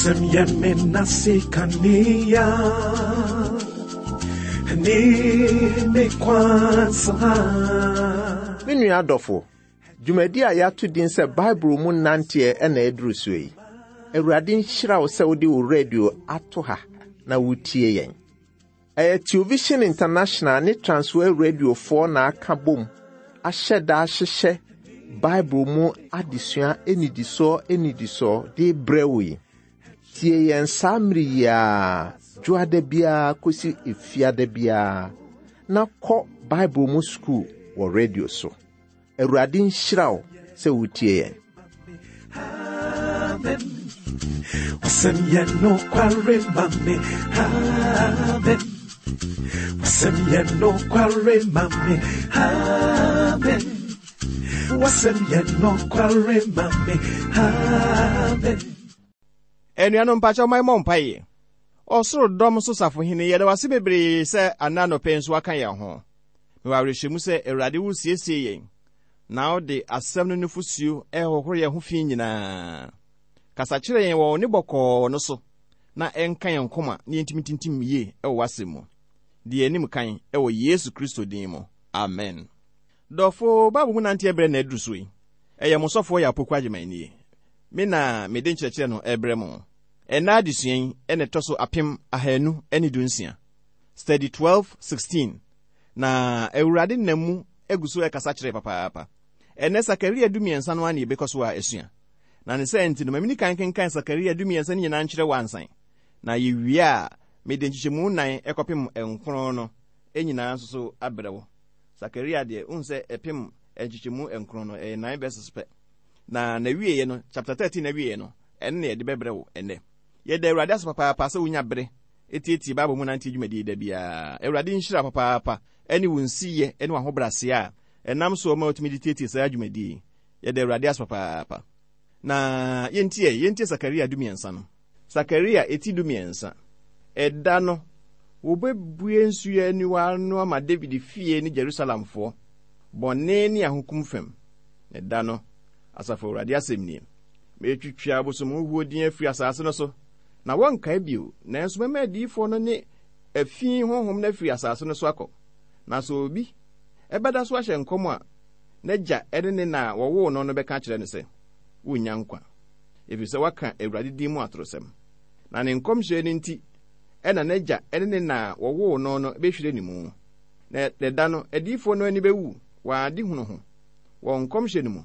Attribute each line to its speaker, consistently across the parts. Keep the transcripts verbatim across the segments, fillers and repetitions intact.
Speaker 1: Wasɛm yɛ me nase kanea ne me kwan so ha.
Speaker 2: Me nua adɔfo, dwumadi a yɛato din sɛ Bible mu nanteɛ ɛna ɛduru so yi. Awurade nhyira wo sɛ wode wo radio ato ha na wotie yɛn. Ɛyɛ Television International ne Transworld Radiofoɔ na aka bom ahyɛ da ahyehyɛ Bible mu adesua anidisoɔ anidisoɔ de brɛ wo yi. Tie yɛn saa mmere yi ara, dwoada biara kɔsi efiada biara, na kɔ Bible mu sukuu wɔ radio so. Awurade nhyira wo sɛ wotie yɛn.
Speaker 1: Amen. Wasɛm yɛ nokware ma me. Amen. Wasɛm yɛ nokware ma me. Amen. Wasɛm yɛ nokware ma me. Amen.
Speaker 3: Anuanom, mpakyɛw ma yɛmmɔ mpaeɛ. Ɔsoro dɔm so safohene, yɛda wase bebree sɛ ana anɔpɛ nso aka yɛn ho. Mewɔ awerɛhyɛmu sɛ Awurade wosiesie yɛn na wode asɛm no nufosuo ɛhohoro yɛn ho fi nyinaa. Kasa kyerɛ yɛn wɔ wo ne bɔkɔɔ no so na ɛnka yɛn koma na yɛntumi tintim yie ɛwɔ w'asɛm mu. Deɛ anim kan ɛwɔ Yesu Kristo din mu. Amen. Dɔfo, Bible mu nanteɛ berɛ na aduru so yi. Ɛyɛ mo sɔfoɔ yɛ Apoku Agyeman nie. Me na mede nkyerɛkyerɛ no ɛbrɛ mo. Ɛnna adesua yi ɛna ɛtɔ so apem ahanu ne dunsia. Study twelve sixteen. Na Awurade nam mu egu so ɛkasa kyerɛ papaapa. Ɛnɛ Sakaria dumiɛnsa no ara na yɛbɛkɔ so a asua. Na ne sɛ nti no, ma mini kan kenkan Sakaria dumiɛnsa no nyinaa nkyerɛ wo ansan. Na yɛwie a, mede nkyekyɛmu nnan ɛkɔpem nkron no nyinaa nso so abrɛ wo. Sakaria deɛ, wohu sɛ ɛpem nkyekyɛmu nkron no, ɛyɛ nine verses pɛ. Na n'awieeɛ no, chapter thirteen n'awieeɛ no, ɛno na yɛde bɛbrɛ wo ɛnnɛ. Yɛda Awurade ase papaapa sɛ wonya bere etietie Bible mu nante dwumadie da biara. Awurade nhyira papaapa ɛne wo nsiyɛ ɛne w'ahobrɛaseɛ a ɛnam so ma wotumi de tietie saa dwumadie yi. Yɛda Awurade ase papaapa. Na yɛntie, yɛntie Sakaria dumiɛnsa no. Sakaria eti dumiɛnsa. Ɛda no, wɔbɛbue nsuo aniwa no ama David fie ne Jerusalemfoɔ, bɔne ne ahokum fam. Ɛda no, Asafo Awurade asɛm nie. Metwitwa abosomhuhuo din afiri asase no so, na wɔnkae bio, nanso mɛma adiyifoɔ no ne afi honhom no afiri asase no so akɔ. Na sɛ obi ɛbɛda so ahyɛ nkɔm a, n'agya ne ne na a wɔwoo no no bɛka akyerɛ no sɛ, wonnya nkwa, ɛfiri sɛ waka Awurade din mu atorosɛm. Na ne nkɔmhyɛ no nti, ɛna n'agya ne ne na a wɔwoo no no bɛhwire ne mu. Na ɛda no, adiyifoɔ no ani bɛwu wɔn adehunu ho, wɔn nkɔmhyɛ no mu.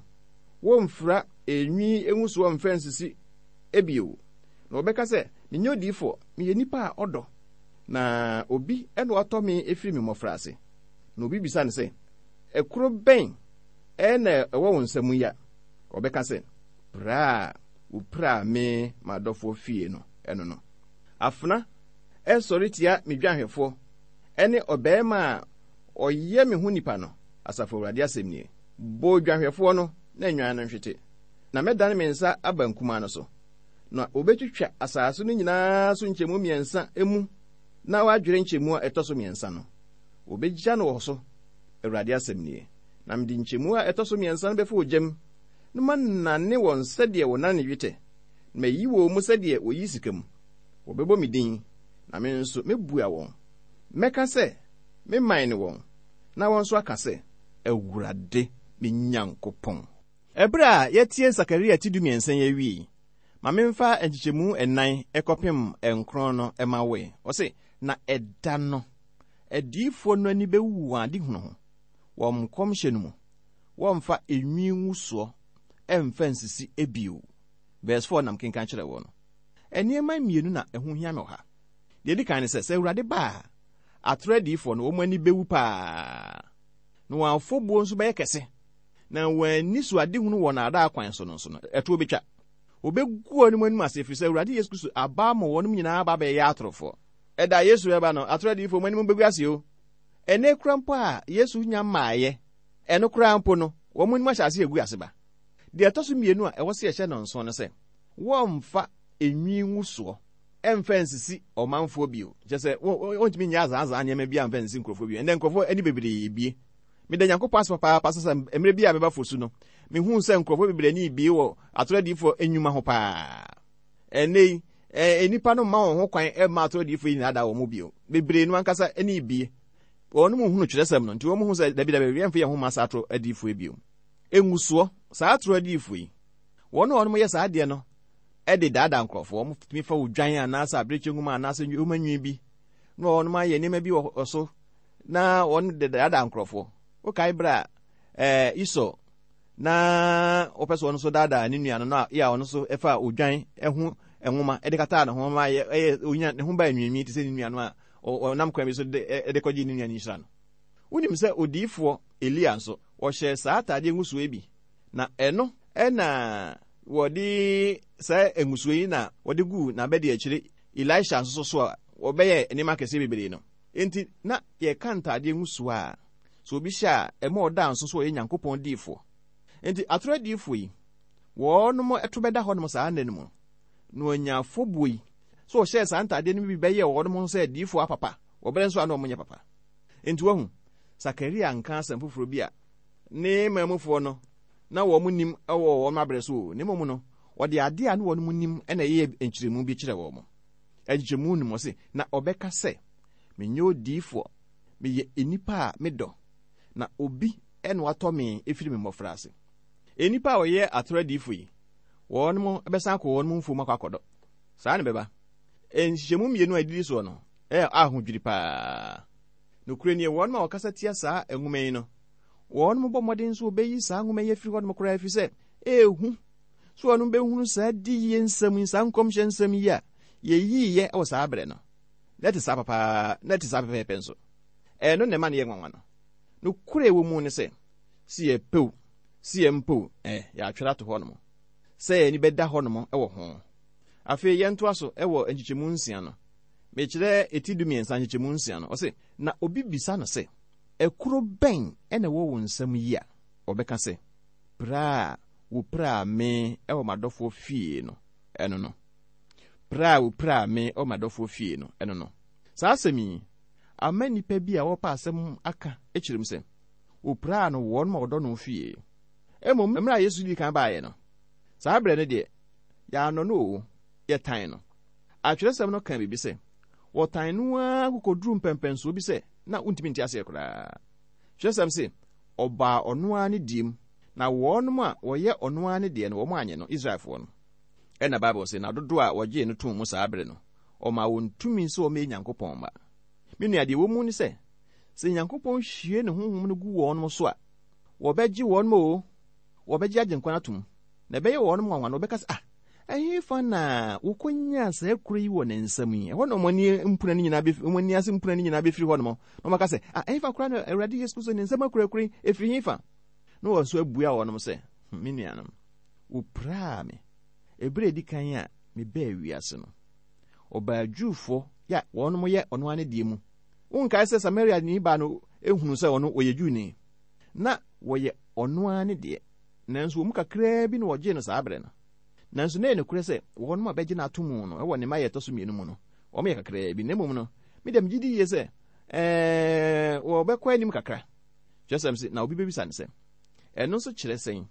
Speaker 3: Wɔmfira enwi ngusoɔ mfa nsisi ebio. Na wɔbɛka sɛ, menyɛ odiyifoɔ, meyɛ nipa a ɔdɔ. Na obi ɛna watɔ me efiri me mmɔfraase. Na obi bisa no sɛ, ɛkoro bɛn ɛna ɛwɔ wo nsam yi a? Ɔbɛka sɛ, pra a wopraa me m'adɔfoɔ fie no, ɛno no. Afena ɛsɔre tia me dwanhwɛfoɔ ɛne ɔbarima a ɔyɛ me ho nipa no, Asafo Awurade asɛm nie. Bɔ dwanhwɛfoɔ no na nnwan no nhwete. Na mɛdane me nsa aba nkumaa no so. Na obetwitwa asase no nyinaa so nkyɛmu mmiɛnsa mu na wadwere nkyɛmu a ɛtɔ so mmiɛnsa no. Obegya no wɔ so, Awurade asɛm nie. Na mede nkyɛmu a ɛtɔ so mmiɛnsa no bɛfa ogyam, na manane wɔn sɛdeɛ wɔnane dwetɛ, na mayi wɔn mu sɛdeɛ wɔyi sika mu. Wɔbɛbɔ me din, na me nso mɛbua wɔn. Mɛka sɛ, me man ne wɔn, na wɔn nso aka sɛ, Awurade me Nyankopɔn. Ɛberɛ a yɛtie Sakaria ti dumiɛnsa yi awie, ma memfa nkyekyɛmu ɛnan ɛkɔpem nkron no ɛma wo. Ɔse, na ɛda no, adiyifoɔ no ani bɛwu wɔn adehunu ho, wɔn nkɔmhyɛ no mu. Wɔmfa enwi ngusoɔ ɛmfa nsisi ebio. Verse four nam kenkan kyerɛ wɔ no. Nneɛma mmienu na ɛho hia me wɔ ha. Deɛ edi kan ne sɛ, sɛ Awurade ba a, atoro adiyifoɔ no, wɔn ani bɛwu paa. Na wɔn afɔbuo nso bɛyɛ kɛse. Na wɔn ani so adehunu wɔ naadaa kwan so no nso no, ɛtoɔ bɛtwa. Wɔbɛgu wɔn anim ase ɛfiri sɛ Awurade Yesu Kristo aba ama wɔn nyinaa aba abɛyɛ atorofoɔ. Ɛda Yesu bɛba no, atoro adiyifoɔ wɔn anim bɛgu ase o. Ɛnɛ kura mpo a Yesu nya mmaeɛ, ɛno koraa mpo no, wɔn anim ahyɛ ase agu ase ba. Deɛ ɛtɔ so mmienu a ɛwɔ sɛ yɛhyɛ no nso no sɛ, wɔmfa enwi ngusoɔ ɛmfa nsisi ɔmanfoɔ bio. Kyerɛ sɛ, wɔntumi nyɛ azaazaa nneɛma bi amfa nsisi nkurɔfoɔ bio. Ɛnɛ nkurɔfoɔ ani bebree bie. Meda Nyankopɔn ase papaapa sɛ sɛ mmerɛ bi a meba fo so no, mehuu sɛ nkurɔfoɔ bebree ani bie wɔ atoro adiyifoɔ nnwuma ho paa. Ɛnɛ yi, Ɛɛ nnipa no mma wɔn ho kwan mma atoro adiyifoɔ yi nnaadaa wɔn bio. Bebree no ankasa ani rebue. Wɔn mu hunu twerɛsɛm no, nti wɔn hu sɛ dabi dabi, yɛmfa yɛn ho mma saa atoro adiyifoɔ yi bio. Ngusoɔ, saa atoro adiyifoɔ yi, wɔn a wɔn yɛ saa adeɛ no de daadaa nkurɔfoɔ. Wɔn tumi fa odwan anaasɛ abirekyi nwoma anaasɛ nwoma nwi bi na wɔn ayɛ nneɛma bi wɔ so na wɔn de daadaa nkurɔfoɔ. Wokae berɛ a ɛɛ Esau na wɔpɛ sɛ ɔno nso daadaa ne nua no na yɛ a ɔno nso fa odwan ho nwoma de kataa ne ho ma ɛyɛ ɛyɛ onya ne ho baa nwiinwii te sɛ ne nua no a ɔnam kwan bi so de de kɔgye ne nua no nhyira no. Wonim sɛ odiyifoɔ Elia nso wɔhyɛ saa ataadeɛ ngusoɔ yi bi, na ɛno ɛna wɔde saa ngusoɔ yi na wɔde guu n'abɛde akyire Elisha nso so a wɔbɛyɛ nneɛma akɛseɛ bebree no. Enti na yɛka ntaadeɛ ngusoɔ a sɛ obi hyɛ a ɛma ɔda nso so ɔyɛ Nyankopɔn diyifoɔ. Enti atoro adiyifoɔ yi, wɔnom ɛto bɛda hɔnom saa nna no mu na wɔanya afɔbuo yi sɛ wɔhyɛɛ saa ntaadeɛ no bi bɛyɛ wɔnom ho sɛ adiyifoɔ apapa, wɔbɛrɛ nso a na wɔnyɛ papa. Enti wahu, Sakaria nka asɛm foforɔ bi a ne maamufoɔ no na wɔn nim wɔ wɔn abrɛ so o. Ne mmom no, wɔde adeɛ a na wɔn nim na ɛyɛ nkyerɛmu bi kyerɛ wɔn. Nkyerɛmu no mu ɔse, na ɔbɛka sɛ, menyɛ odiyifoɔ, meyɛ nnipa a medɔ, na obi ɛna watɔ me efiri me mmɔfra ase. Nnipa a wɔyɛ atoro adiyifoɔ yi, wɔn bɛsan akɔ wɔn mfuom akɔ akɔdɔ. Saa ne bɛba. Nhyehyɛmu mmienu a ɛdidi soɔ no, ɛyɛ ahodwiri paa. Nokorɛ nie, wɔn a wɔkasa tia saa nwoma yi no, wɔn bɔ mmɔden nso wɔbɛyi saa nwoma yi afiri hɔnom koraa, ɛfiri sɛ ehu so wɔn bɛhunu saa diyie nsɛm yi, saa nkɔmhyɛ nsɛm yi a yɛyiiɛ wɔ saa berɛ no. Na ɛte saa papaa, na ɛte saa pɛpɛɛpɛ nso. Ɛno na ɛma no yɛ nwanwa no. Nokorɛ ɛwɔ mu ne sɛ, si yɛpɛ o, si yɛmpɛ o, ɛ yɛatwerɛ ato hɔnom sɛ yɛn ani bɛda hɔnom wɔ ho. Afei yɛntoa so wɔ nkyekyɛmu nsia no. Mekyerɛ eti du mmiɛnsa nkyekyɛmu nsia no. Ɔse, na obi bisa no sɛ, ɛkoro bɛn ɛna ɛwɔ wo nsam yi a? Ɔbɛka sɛ, pra a wopiraa me ɛwɔ m'adɔfoɔ fie no, ɛno no. Pra a wopiraa me ɛwɔ m'adɔfoɔ fie no, ɛno no. Saa asɛm yi, ama nnipa bi a wɔpɛ asɛm aka kyerɛ mu sɛ, wopiraa no wɔn ma wɔdɔ no fie. Mmom, mmerɛ a Yesu dii kan baeɛ no, saa berɛ no deɛ, yɛanɔ no o, yɛtan no. Atwerɛsɛm no ka biribi sɛ, wɔtan no ara kokoduru mpɛmpɛnsoɔ bi sɛ na wontumi nte aseɛ koraa. Twerɛsɛm se, ɔbaa ɔno ara ne deɛ mu, na wɔnom a wɔyɛ ɔno ara ne deɛ no, wɔn anyɛ no, Israelfoɔ no. Ɛna Bible se, na dodoɔ a wɔgyee no too mu saa berɛ no, ɔmaa wɔn tumi sɛ wɔmmɛyɛ Nyankopɔn mma. Me nua, deɛ ɛwɔ mu ne sɛ, sɛ Nyankopɔn hwie ne honhom no gu wɔn so a, wɔbɛgye wɔn o, wɔbɛgye agyenkwa no atom. Na ɛbɛyɛ wɔn nwanwa no, wɔbɛka sɛ, ah, ɛhefa na wɔkɔnyaa saa kuro yi wɔ ne nsam yi? Ɛhɔ na wɔn ani mpuna no nyinaa bɛfiri, wɔn ani ase mpuna no nyinaa bɛfiri hɔ nom. Na wɔaka sɛ, ah, ɛhefa koraa na Awurade Yesu Kristo ne nsam akurakura yi ɛfiri hefa? Na wɔn nso abua wɔnom sɛ, me nuanom, wɔpiraa me. Ɛberɛ a ɛdi kan a mebɛɛ wiase no, ɔbaa Jewfoɔ yɛ wɔnom yɛ ɔno ara ne deɛ mu. Wonkae sɛ Samaria ni baa no ehunu sɛ ɔno ɔyɛ Jewni. Na wɔyɛ ɔno ara ne deɛ. Nanso wɔn mu kakraa bi na wɔgyee no saa berɛ no. Nanso na ɛyɛ nokorɛ sɛ wɔnom a bɛgye no ato mu no ɛwɔ ne mma yɛ ɛtɔ so mmienu mu no, wɔn yɛ kakraa bi. Na mmom no, me deɛ megye di yie sɛ ɛɛ wɔbɛkɔ anim kakra. Kyerɛsɛm se, na obi bɛbisa no sɛ, ɛno nso kyerɛ sɛn?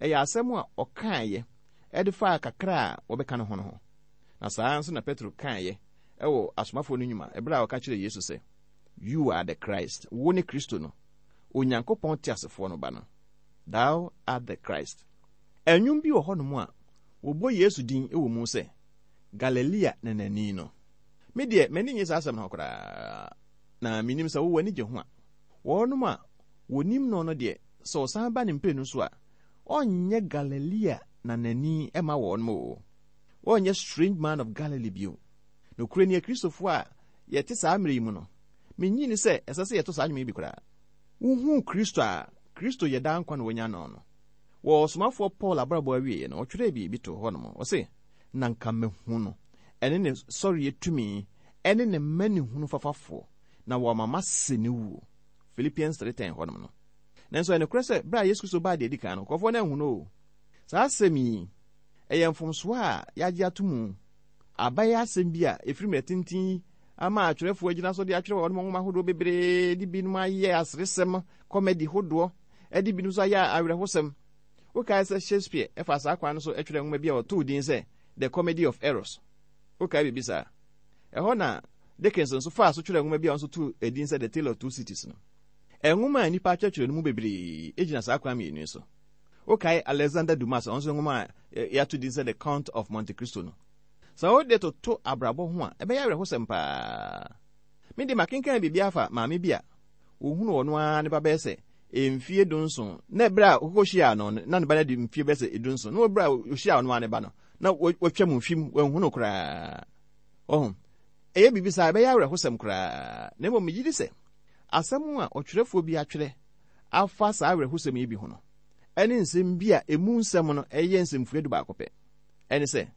Speaker 3: Ɛyɛ asɛm a ɔkaeɛ ɛde faa kakra a wɔbɛka no ho no ho. Na saa nso na Petro kaeɛ ɛwɔ asomafoɔ no nnwuma ɛberɛ a ɔka kyerɛ Yesu sɛ, You are the Christ, wo ne Kristo no, Onyankopɔn teasefoɔ no ba no. Thou art the Christ. Ɛnwom bi wɔ hɔnom a wɔbɔ Yesu din wɔ mu sɛ Galilea nanani no. Me deɛ, m'ani nye saa asɛm no ho koraa. Na menim sɛ wowɔ ani gye ho a. Wɔnom a wɔnim no no deɛ, sɛ ɔsan ba ne mprenu so a, ɔnyɛ Galilea nanani ɛma wɔnom o. Ɔnyɛ strange man of Galilee bio. Nokorɛ ni, Akristofoɔ a yɛte saa mmerɛ yi mu no, menyi ni sɛ ɛsɛ sɛ yɛto saa nnwom yi bi koraa. Wohuu Kristo a Kristo yɛ daa nkwa na wɔnya no no. Wɔ ɔsomafoɔ Paul abrabɔ awieeɛ no, ɔtwerɛɛ biribi too hɔnom. Ɔse, na nka mehu no, ɛne ne sɔreɛ tumi, ɛne ne mmanehunu fafafoɔ, na wɔama mase ne wuo. Philippians three ten hɔnom no. Nanso ɛyɛ nokorɛ sɛ, berɛ a Yesu Kristo baa deɛ edi kan no, nkurɔfoɔ no anhu no o. Saa asɛm yi, ɛyɛ mfomsoɔ a yɛagye ato mu. Abayɛ asɛm bi a ɛfiri mmerɛ tenten yi ama atwerɛfoɔ agyina so de atwerɛ wɔn nwoma ahodoɔ bebree, de binom ayɛ aseresɛm, comedy hodoɔ, ɛde binom nso ayɛ awerɛhosɛm. Wokae sɛ Shakespeare ɛfa saa kwan no so atwerɛ nwoma bi a ɔtoo din sɛ The Comedy of Errors. Wokae biribi saa? Ɛhɔ na Dickens nso faa so twerɛ nwoma bi a ɔnso too edin sɛ The Tale of Two Cities no. Nwoma a nnipa atwerɛtwerɛ no mu bebree gyina saa kwan mmienu yi so. Wokae Alexander Dumas, ɔno nso nwoma a yɛato din sɛ The Count of Monte Cristo no. Sɛ wode toto abrabɔ ho a, ɛbɛyɛ awerɛhosɛm paa. Me de makenkan biribi afa maame bi a ohunu ɔno ara ne ba bɛyɛ sɛ mfie dunson, na ɛberɛ a ɔkɔkɔhyiaa no na ne ba no adi mfie bɛyɛ sɛ dunson, na ɛberɛ a ɔhyiaa ɔno ara ne ba no, na watwa mu mfim, wanhu no koraa. Ɔho, ɛyɛ biribi saa, ɛbɛyɛ awerɛhosɛm koraa. Na mmom megye di sɛ asɛm a ɔtwerɛfoɔ bi atwerɛ afa saa awerɛhosɛm yi bi ho no, ɛne nsɛm bi a emu nsɛm no ɛyɛ nsɛmfua du baako pɛ. Ɛne sɛ,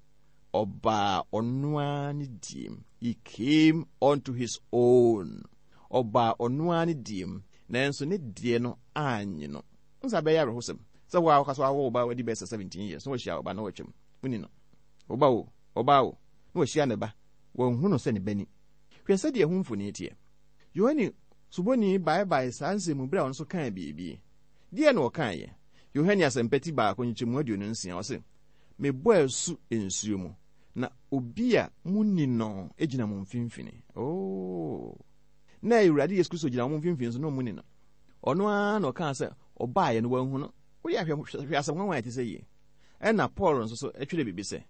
Speaker 3: ɔbaa ɔno ara ne diem. He came unto his own. Ɔbaa ɔno ara ne diem, nanso ne deɛ no annye no. Nsa bɛyɛ awerɛhosɛm sɛ wo a woka so awo wo ba wadi bɛyɛ sɛ seventeen years na wahyia wo ba na watwam. Woni no. Wo ba wo, ɔbaa wo, na wahyia ne ba. Wanhu no sɛ ne ba ni. Hwɛ sɛdeɛ ɛho mfoni teɛ. Yohane Suboni baebae saa nsɛm mu berɛ a ɔno nso kaa biribi. Deɛ na ɔkaeɛ? Yohane Asɛmpati baako nkyekyɛmu aduonu nsia, ɔse, mebɔ asu nsuo mu, na obi a munni no gyina mo mfimfini. Oh. Na Awurade Yesu Kristo gyina wɔn mfimfini so na ɔmu ni no. Ɔno ara na ɔkaa sɛ ɔbaeɛ no wanhu no. Wode ahwɛ hwɛ asɛm nwanwa a ɛte sɛ yie. Ɛna Paul nso so twerɛ biribi sɛ,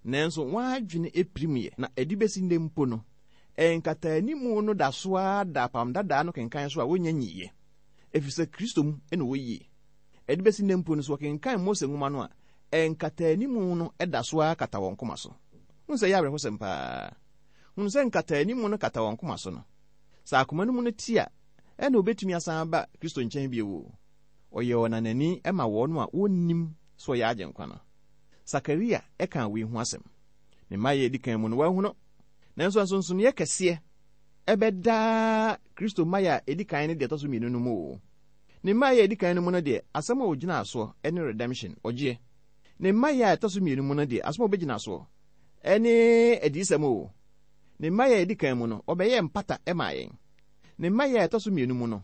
Speaker 3: nanso wɔn adwene epirim yɛ, na ɛde bɛsi nnɛ mpo no, nkataanimu no da so ara da apam dadaa no kenkan so a wɔnnya nyiiɛ, ɛfiri sɛ Kristo mu na wɔyie. Ɛde bɛsi nnɛ mpo no, so wɔkenkan Mose nwoma no a, nkataanimu no da so ara kata wɔn koma so. Hunu sɛ ɛyɛ awerɛhosɛm paa. Hunu sɛ nkataanimu no kata wɔn koma so no, sɛ akoma no mu no te a, ɛna obetumi asan aba Kristo nkyɛn bio. Ɔyɛ ɔnanani ma wɔn a wɔnnim sɛ ɔyɛ Agyenkwa no. Sakaria ɛka wei ho asɛm. Ne mma yɛ edi kan mu no wahu no. Nanso nsonsonoeɛ kɛseɛ ɛbɛdaa Kristo mmaeɛ a edi kan ne deɛ ɛtɔ so mmienu no mu o. Ne mmaeɛ a edi kan no mu no deɛ, asɛm a ogyina soɔ ne redemption, ɔgyeɛ. Ne mmaeɛ a ɛtɔ so mmienu mu no deɛ, asɛm a obɛgyina soɔ ne adiyisɛm o. Ne mmaeɛ a edi kan mu no, ɔbɛyɛɛ mpata maa yɛn. Ne mmaeɛ a ɛtɔ so mmienu mu no,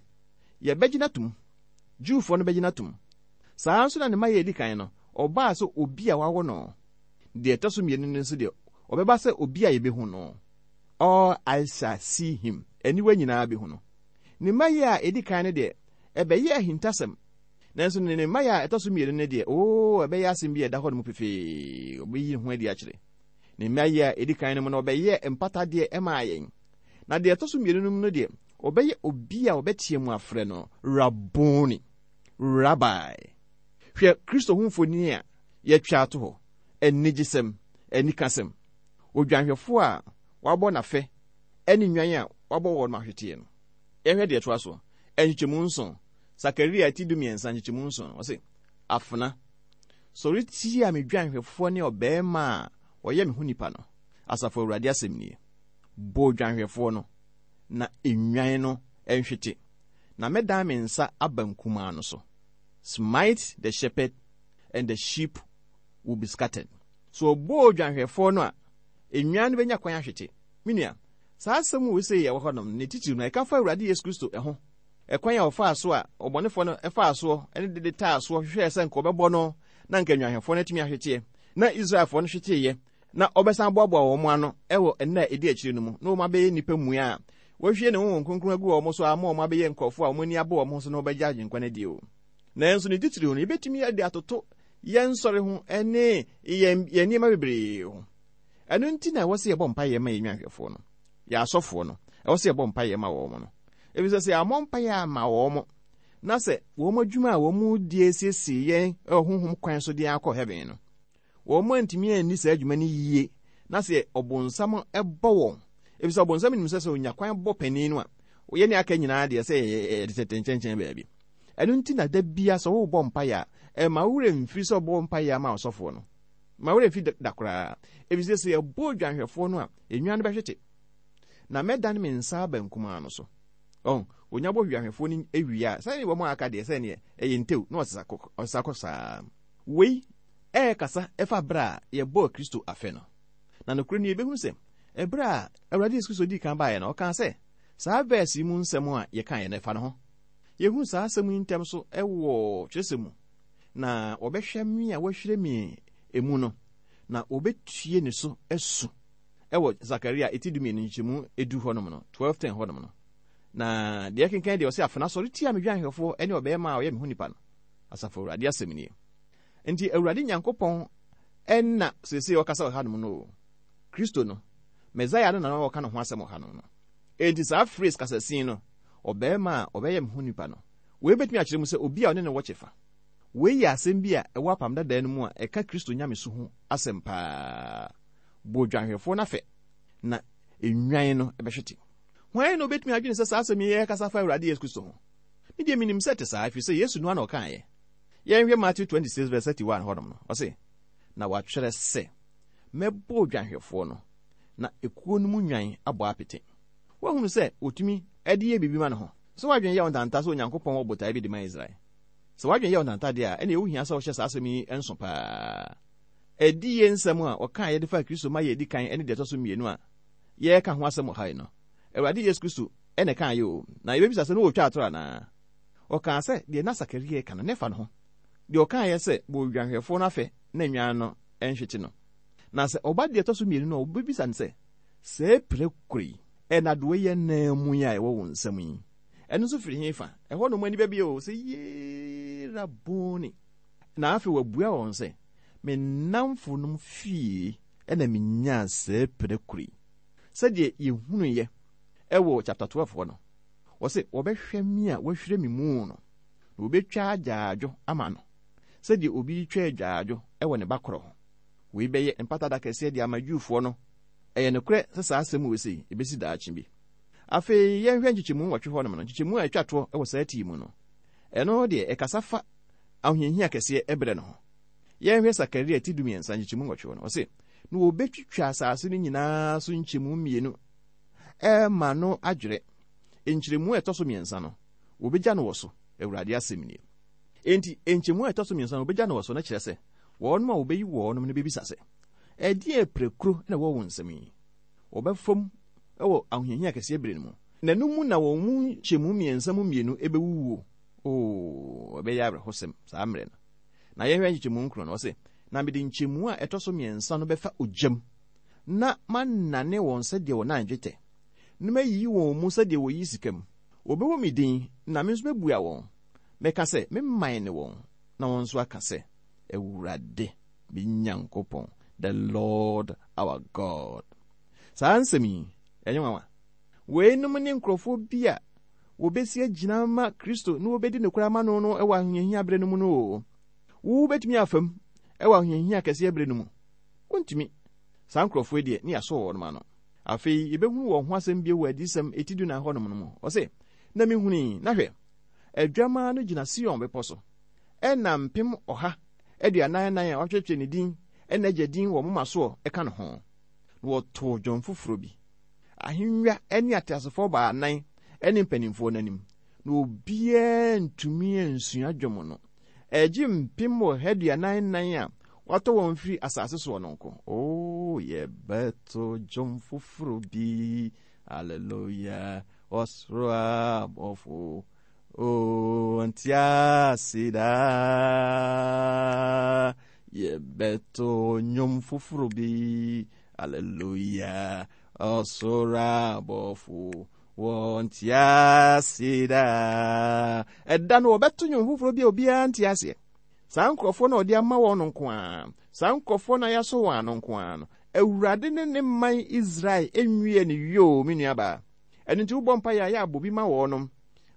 Speaker 3: yɛbɛgyina tom. Jewfoɔ no bɛgyina tom. Saa nso na ne mmaeɛ a edi kan no, ɔbaa sɛ obi a wawo no. Deɛ ɛtɔ so mmienu no nso deɛ, ɔbɛba sɛ obi a yɛbɛhu no. All eyes shall see him. Aniwa nyinaa bɛhu no. Ne mmaeɛ a edi kan no deɛ, ɛbɛyɛ ahintasɛm. Nanso ne ne mmaeɛ a ɛtɔ so mmienu no deɛ, oo, ɛbɛyɛ asɛm bi a ɛda hɔ no mu pefee. Ɔbɛyi ne ho adi akyerɛ. Ne mmaeɛ a edi kan no mu no, ɔbɛyɛ mpatadeɛ ɛmaa yɛn. Na deɛ ɛtɔ so mmienu no mu no deɛ, ɔbɛyɛ obi a ɔbɛteɛ mu afrɛ no Raboni, Rabbi. Hwɛ Kristo ho mfoni a yɛatwa ato hɔ, anigyesɛm, anikasɛm. Odwanhwɛfoɔ a wabɔ n'afɛ ne nnwan a wabɔ wɔn ahweteɛ no. Yɛhwɛ deɛ ɛtoa soɔ. Nkyekyɛmu nson. Sakaria ti du mmiɛnsa nkyekyɛmu nson. Ɔse, afena, sɔre tia me dwanhwɛfoɔ ne ɔbarima a ɔyɛ me ho nipa no. Asafo Awurade asɛm nie. Bɔ odwanhwɛfoɔ no, na nnwan no nhwete. Na mɛdan me nsa aba nkumaa no so. Smite the shepherd and the sheep will be scattered. So ɔbɔ odwanhwɛfoɔ no a, nnwan no bɛnya kwan ahwete. Me nua, saa asɛm wo sɛ yɛwɔ hɔnom ne titiri no, ɛka fa Awurade Yesu Kristo ɛho. Ɛkwan a ɔfaa so a ɔbɔnefoɔ no ɛfaa soɔ ɛne dede taa soɔ hwehwɛɛ sɛ nka ɔbɛbɔ no na nka nnwanhwɛfoɔ no atumi ahweteɛ na Israelfoɔ no hweteeɛ na ɔbɛsan boaboa wɔn ano ɛwɔ nna a ɛdi akyire no mu na wɔn abɛyɛ nnipa mua a wɔahwie ne Honhom Kronkron agu wɔn so ama wɔn abɛyɛ nkurɔfoɔ a wɔn ani abɔ wɔn ho so na wɔbɛgye Agyenkwa no adi o. Nanso ne titiri no, yɛbɛtumi de atoto yɛn nsɔre ho ne yɛn yɛn nneɛma bebree ho. Ɛno nti na ɛwɔ sɛ yɛbɔ mpaeɛ ma yɛn nnwanhwɛfoɔ no, yɛn asɔfoɔ no, ɛwɔ sɛ yɛbɔ mpaeɛ ma wɔn no. Efisɛ sɛ yɛammɔ mpaeɛ ama wɔn na sɛ wɔn adwuma a wɔn di asiesie yɛn ɛwɔ honhom kwan so de akɔ heaven no, wɔn antumi anni saa adwuma no yie na sɛ ɔbonsam ɛbɔ wɔn, efisɛ ɔbonsam nim sɛ sɛ onya kwan bɔ panin no a, yɛn ne aka nyinaa deɛ sɛ yɛde tete nkyɛnkyɛn baabi. Ɛno nti na da bia sɛ wobɔ mpaeɛ a, ɛma wo werɛ mfiri sɛ ɔbɔ mpaeɛ ama ɔsɔfoɔ no. Ma werɛ mfiri da koraa. Efisɛ sɛ yɛbɔ odwanhwɛfoɔ no a, nnwan no bɛhwete. Na mɛdane me nsa aba nkumaa no so. Ɔn, onya bɔ odwanhwɛfoɔ no awie a, sɛne wɔn a aka deɛ sɛneɛ ɛyɛ ntew na ɔsesa kɔ ɔsesa kɔ saa. Wei ɛɛkasa ɛfa berɛ a yɛbɔɔ Kristo afɛ no. Na nokorɛ no yɛbɛhunu sɛ ɛberɛ a Awurade Yesu Kristo dii kan baeɛ no, ɔkaa sɛ saa verse yi mu nsɛm a yɛkaeɛ no ɛfa ne ho. Yɛhunu saa asɛm yi ntɛm so ɛwɔ twerɛsɛm mu. Na wɔbɛhwɛ me a wɔahwere me emu no, na wɔbɛtue ne so asu. Ɛwɔ Sakaria eti dumienu nkyɛmu edu hɔnom no, twelve ten hɔnom no. Na deɛ kenkan deɛ ɔsɛ afena sɔre tia me dwanhwɛfoɔ ne ɔbɛrima a ɔyɛ me ho nipa no. Asafo Awurade asɛm nie. Nti Awurade Nyankopɔn ɛna seesei ɔkasa wɔ hanom no o. Kristo no, Mesaia no na ɔka ne ho asɛm wɔ hanom no. Enti saa phrase kasasin no, ɔbɛrima a ɔbɛyɛ me ho nipa no, wei bɛtumi akyerɛ mu sɛ obi a ɔne ne wɔ kyɛfa. Wei yɛ asɛm bi a ɛwɔ apam dadaa no mu a ɛka Kristo nyamesu ho asɛm paa. Bɔ dwanhwɛfoɔ no afɛ na nnwan no ɛbɛhwete. Hwan na obɛtumi adwene sɛ saa asɛm yi yɛ fa Awurade Yesu Kristo ho? Me deɛ menim sɛ te saa, ɛfiri sɛ Yesu no ara na ɔkaeɛ. Yɛnhwɛ Matthew twenty-six verse thirty-one hɔnom no. Ɔse, na wɔatwerɛ sɛ, mɛbɔ odwanhwɛfoɔ no, na ekuo no mu nnwan abɔ apete. Woahunu sɛ otumi ɛde yɛ biribi ma ne ho. Sɛ woadwene yɛ wo ntanta sɛ Onyankopɔn wɔ botaeɛ bi de ma Israel. Sɛ woadwene yɛ wo ntanta deɛ a, ɛne ɛwo hia sɛ wohyɛ saa asɛm yi nso paa. Ɛdi yɛ nsɛm a ɔkaa yɛde fa Kristo ma yɛ edi kan ne deɛ ɛtɔ so mmienu a yɛreka ho asɛm wɔ ha yi no. Awurade Yesu Kristo ɛna ɛkaa yɛ o. Na yɛbɛbisa sɛ ne wɔtwa atoro anaa? Ɔkaa sɛ deɛ na Sakaria ka no, ne fa no ho. Deɛ ɔkaa yɛ sɛ bɔ odwanhwɛfoɔ no afɛ na nnwan no ɛnhwete no. Na sɛ ɔba deɛ ɛtɔ so mmienu no a, wɔbɛbisa no sɛ, sɛ pirakuro yi, ɛnadoa yi anan mu yi a ɛwɔ wo nsam yi, ɛno nso firi he fa? Ɛhɔ nom ani bɛbie o, sɛ yee Raboni. Na afei wabua wɔn sɛ, me nnamfo nom fie ɛna menyaa sɛ pirakuro yi. Sɛdeɛ yɛhunuiɛ ɛwɔ chapter twelve hɔ no, wɔse wɔbɛhwɛ me a wɔahwire me mu no, na wɔbɛtwa agyaadwo ama no, sɛdeɛ obi twa agyaadwo ɛwɔ ne ba korɔ ho. Wei bɛyɛ mpata da kɛseɛ de ama Jewfoɔ no. Ɛyɛ nokorɛ sɛ saa asɛm wei sei ɛbɛsi daakye bi. Afei yɛnhwɛ nkyekyɛmu nwɔtwe hɔnom no, nkyekyɛmu a ɛtwa toɔ ɛwɔ saa tii mu no. Ɛno deɛ ɛkasa fa ahohiahia kɛseɛ ɛberɛ no ho. Yɛnhwɛ Sakaria ti dumiɛnsa nkyekyɛmu nwɔtwe hɔ no, ɔse, na wɔbɛtwitwa asase no nyinaa so nkyɛmu mmienu ɛma no adwerɛ. Nkyerɛmu a ɛtɔ so mmiɛnsa no, wɔbɛgya no wɔ so, Awurade asɛm nie. Enti nkyɛmu a ɛtɔ so mmiɛnsa no wɔbɛgya no wɔ so no kyerɛ sɛ wɔnom a wɔbɛyi wɔnom no bɛbisa sɛ, ɛdeɛn pirakuro na ɛwɔ wo nsam yi? Wɔbɛfam ɛwɔ ahohiahia kɛseɛ berɛ no mu. Na ɛno mu na wɔn mu nkyɛmu mmiɛnsa mu mmienu ɛbɛwuwuo. Oo, ɛbɛyɛ awerɛhosɛm saa mmerɛ no. Na yɛhwɛ nkyɛmu nkron no, ɔse, na mede nkyɛmu a ɛtɔ so mmiɛnsa no bɛfa ogyam, na manane wɔn sɛdeɛ wɔnan dwetɛ, na mayiyi wɔn mu sɛdeɛ wɔyi sika mu. Wɔbɛwɔ me din, na me nso mɛbua wɔn. Mɛka sɛ, me man ne wɔn, na wɔn nso aka sɛ, Awurade, me Nyankopɔn, the Lord our God. Saa nsɛm yi, ɛnyɛ nwanwa. Weinom ne nkurɔfoɔ bi a wɔbɛsi agyina ma Kristo na wɔbɛdi nokorɛ ama no no ɛwɔ ahohiahia berɛ no mu no o. Wo bɛtumi afam ɛwɔ ahohiahia kɛseɛ berɛ no mu. Wontumi. Saa nkurɔfoɔ yi deɛ, ne yɛasɔ wɔn ano. Afei, yɛbɛhunu wɔn ho asɛm bio wɔ adiyisɛm eti du nan hɔnom no mu. Ɔse, na mehunii, na hwɛ, adwamaa no gyina Sion bepɔ so, ɛna mpem ɔha aduanan nan a wɔatwerɛtwerɛ ne din ɛna agya din wɔ moma soɔ ɛka ne ho. Na wɔtoo dwom foforɔ bi. Ahennwa ne ateasefoɔ baanan ne mpanimfoɔ n'anim. Na obiara ntumi ansua dwom no. Ɛgye mpem ɔha aduanan nan a wɔatɔ wɔn firi asase soɔ no nko. Oo, yɛbɛto dwom foforɔ bi. Hallelujah. Ɔsoro abɔfo. Oo, nte ase daa. Yɛbɛto nnwom foforɔ bi. Hallelujah. Ɔsoro abɔfo. Wɔnte ase daa. Ɛda no wɔbɛto nnwom foforɔ bi a obiara nte aseɛ. Saa nkurɔfoɔ na ɔde ama wɔn no nko ara. Saa nkurɔfoɔ na yɛasɔ wɔn ano nko ara no. Awurade ne ne man Israel nwie ne yoo, me nuabaa. Ɛno nti wobɔ mpaeɛ a yɛ abɔ bi ma wɔnom.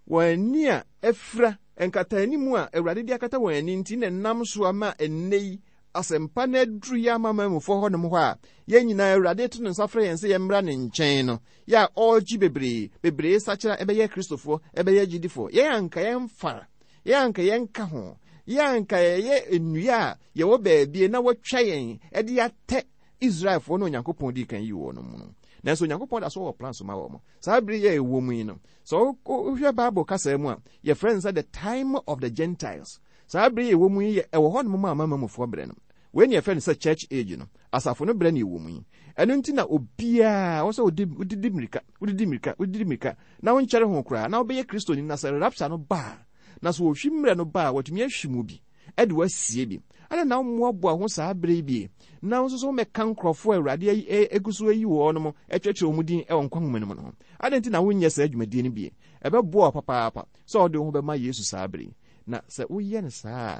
Speaker 3: Wɔn ani a afira nkataanim a Awurade de akata wɔn ani nti na ɛnam so ama ɛnnɛ yi asɛmpa no aduru yɛ ama mamufoɔ hɔnom hɔ a yɛn nyinaa Awurade to ne nsa frɛ yɛn sɛ yɛmmra ne nkyɛn no. Yɛ a ɔregye bebree, bebree sakyera ɛbɛyɛ Kristofoɔ, ɛbɛyɛ gyidifoɔ. Yɛn anka yɛmfa, yɛn anka yɛnka ho, yɛn anka yɛyɛ nnua a yɛwɔ baabi na wɔatwa yɛn ɛde atɛ Israelfoɔ na Onyankopɔn dii kan yi wɔn mu no. Nanso Onyankopɔn da so wɔ plan so ma wɔn. Saa bere yɛ ɛwɔ mu yi no, sɛ wohwɛ Bible kasa mu a, yɛfrɛ no sɛ the time of the Gentiles. Saa bere yɛ ɛwɔ mu yi yɛ ɛwɔ hɔ nom a amanamanmufoɔ berɛ no. Wei ne yɛfrɛ no sɛ church age no. Asafo no berɛ ne ɛwɔ mu yi. Ɛno nti na obiara wɔ sɛ wodidi mmirika, wodidi mmirika, wodidi mmirika, na wonkyɛre ho koraa, na wobɛyɛ Kristoni na sɛ rapture no ba a, na sɛ wɔhwi mmerɛ no ba a, wɔatumi ahwi mu bi. de wasie bi. Adɛn na wommoaboa ho saa bere yi bi, na wo nso so wommɛka nkurɔfoɔ a Awurade agu so ayi wɔn mo akyerɛkyerɛ wɔn din wɔ nkwa nwoma no mu no ho? Adɛn nti na wonyɛ saa dwumadie no bi? Ɛbɛboa wo papaapa sɛ wode wo ho bɛma Yesu saa bere yi. Na sɛ woyɛ no saa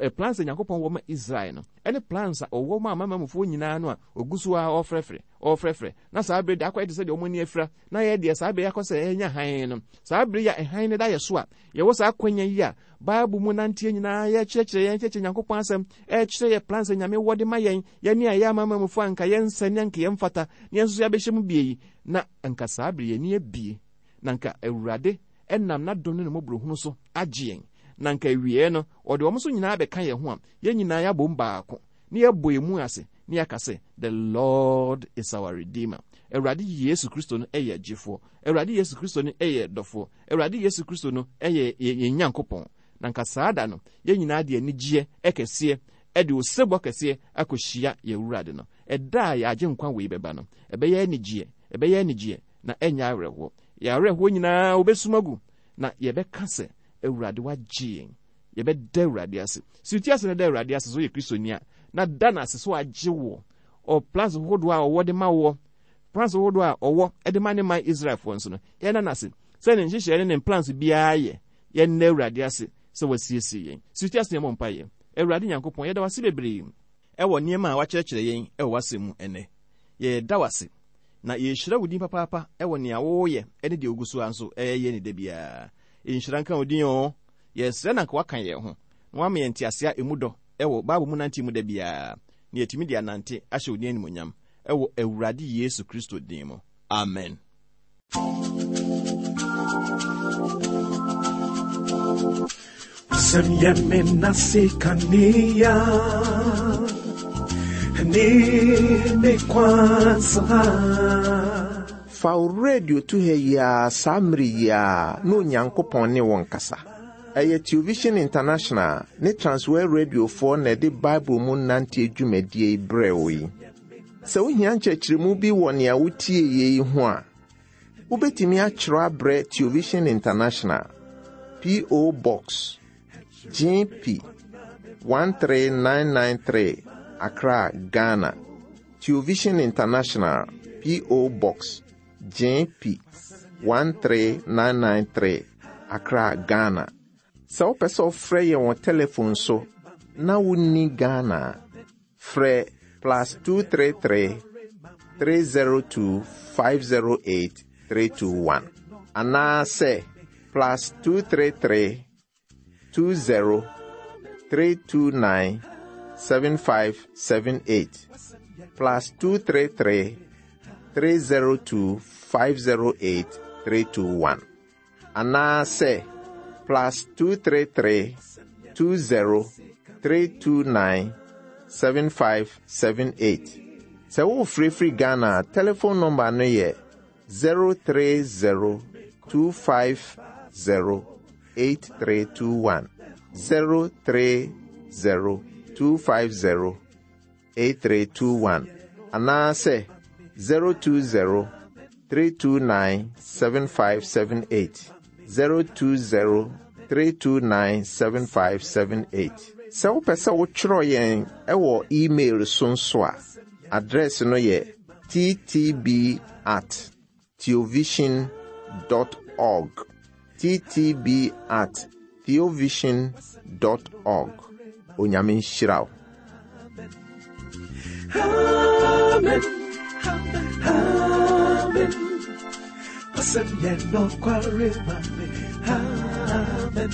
Speaker 3: a, plans a Nyankopɔn wɔ ma Israel no, ɛne plans a ɔwɔ ma amanamanmufoɔ nyinaa no a ɔgu so a ɔrefrɛfrɛ, ɔrefrɛfrɛ, na saa bere de akɔyɛ te sɛ deɛ wɔn ani afira, na yɛ deɛ saa bere akɔ sɛ ɛnya hann no. Saa bere yi a hann no da yɛ so a, yɛwɔ saa akwanya yi a Bible mu nanteɛ nyinaa yɛkyerɛkyerɛ yɛn, kyerɛkyerɛ Nyankopɔn asɛm, ɛkyerɛ yɛ plans a Nyame wɔ de ma yɛn, yɛne a yɛ amanamanmufoɔ a anka yɛnsɛ ne anka yɛmfata, ne yɛn nso so yɛabɛhyɛ mu bie yi, na anka saa bere yɛn ani abie, na anka Awurade ɛnam n'adom ne ne mmɔborɔhunu so agye yɛn, na anka awieɛ no ɔde wɔn nso nyinaa bɛka yɛn ho a yɛn nyinaa yɛabom baako, ne yɛbɔ yɛn mu ase, ne yɛaka sɛ, The Lord is our Redeemer. Awurade Yesu Kristo no yɛ gyefoɔ. Awurade Yesu Kristo no yɛ dɔfoɔ. Awurade Yesu Kristo no yɛ yɛn Nyankopɔn. Na nka saa da no, yɛn nyinaa de anigyeɛ kɛseɛ, de osebɔ kɛseɛ akɔhyia yɛn Awurade no. Ɛda a yɛagye nkwa wei bɛba no, ɛbɛyɛ anigyeɛ, ɛbɛyɛ anigyeɛ, na ɛnyɛ awerɛhoɔ. Yɛn awerɛhoɔ nyinaa wɔbɛsum agu, na yɛbɛka sɛ, Awurade wagye yɛn. Yɛbɛda Awurade ase. Si wo ti ase na da Awurade ase sɛ woyɛ Kristoni a, na da no ase sɛ wagye woɔ. Ɔ plans hodoɔ a ɔwɔ de ma woɔ, plans hodoɔ a ɔwɔ de ma ne man Israelfoɔ nso no, yɛnna no ase sɛ ne nhyehyɛeɛ ne ne plans biara yɛ. Yɛnna Awurade ase sɛ wasiesie yɛn. Si wo ti ase na yɛmmɔ mpaeɛ. Awurade Nyankopɔn, yɛda wo ase bebree ɛwɔ nneɛma a wakyerɛkyerɛ yɛn ɛwɔ w'asɛm mu ɛnnɛ. Yɛda wo ase na yɛhyira wo din papaapa ɛwɔ nea woyɛ ne deɛ wogu so a nso ɛyɛ ne da biara. Nhyira nka wo din o. Yɛsrɛ na nka waka yɛn ho na wama yɛn ntease a emu dɔ ɛwɔ Bible mu nante mu da biara, na yɛtumi de anante ahyɛ wo din animuonyam ɛwɔ Awurade Yesu Kristo din mu. Amen.
Speaker 1: Wasɛm yɛ me nase kanea ne me kwan so ha.
Speaker 2: Fa wo radio to ha yi ara saa mmere yi ara na Onyankopɔn ne wo nkasa. Ɛyɛ Television International ne Transworld Radiofoɔ na ɛde Bible mu nanteɛ dwumadie yi brɛ wo yi. Sɛ wohia nkyerɛkyerɛmu bi wɔ nea wotie yie yi ho a, wobɛtumi akyerɛw abrɛ Television International, P O Box G P one three nine nine three, Accra, Ghana. Television International, P O Box G P one three nine nine three, Accra, Ghana. Sɛ wopɛ sɛ wofrɛ yɛn wɔ telephone so na wonni Ghana a, frɛ plus two three three, three zero two, five zero eight, three two one. Anaasɛ plus two three three, two zero, three two nine, seven five seven eight. Plus two three three, three zero two, five zero eight, three two one. Anaasɛ plus two three three, two zero, three two nine, seven five seven eight. Sɛ wofirifiri Ghana a, telephone number no yɛ zero three zero, two five zero, eight three two one. zero three zero, two five zero, eight three two one. Anaasɛ zero two zero, three two nine, seven five seven eight. zero two zero, three two nine, seven five seven eight. Sɛ wopɛ sɛ wotwerɛ yɛn ɛwɔ email so nso a, address no yɛ t t b at theovision dot org. t t b at theovision dot org. Onyame nhyira wo.
Speaker 1: Amen. Amen. Wasɛm yɛ nokware ma me. Amen.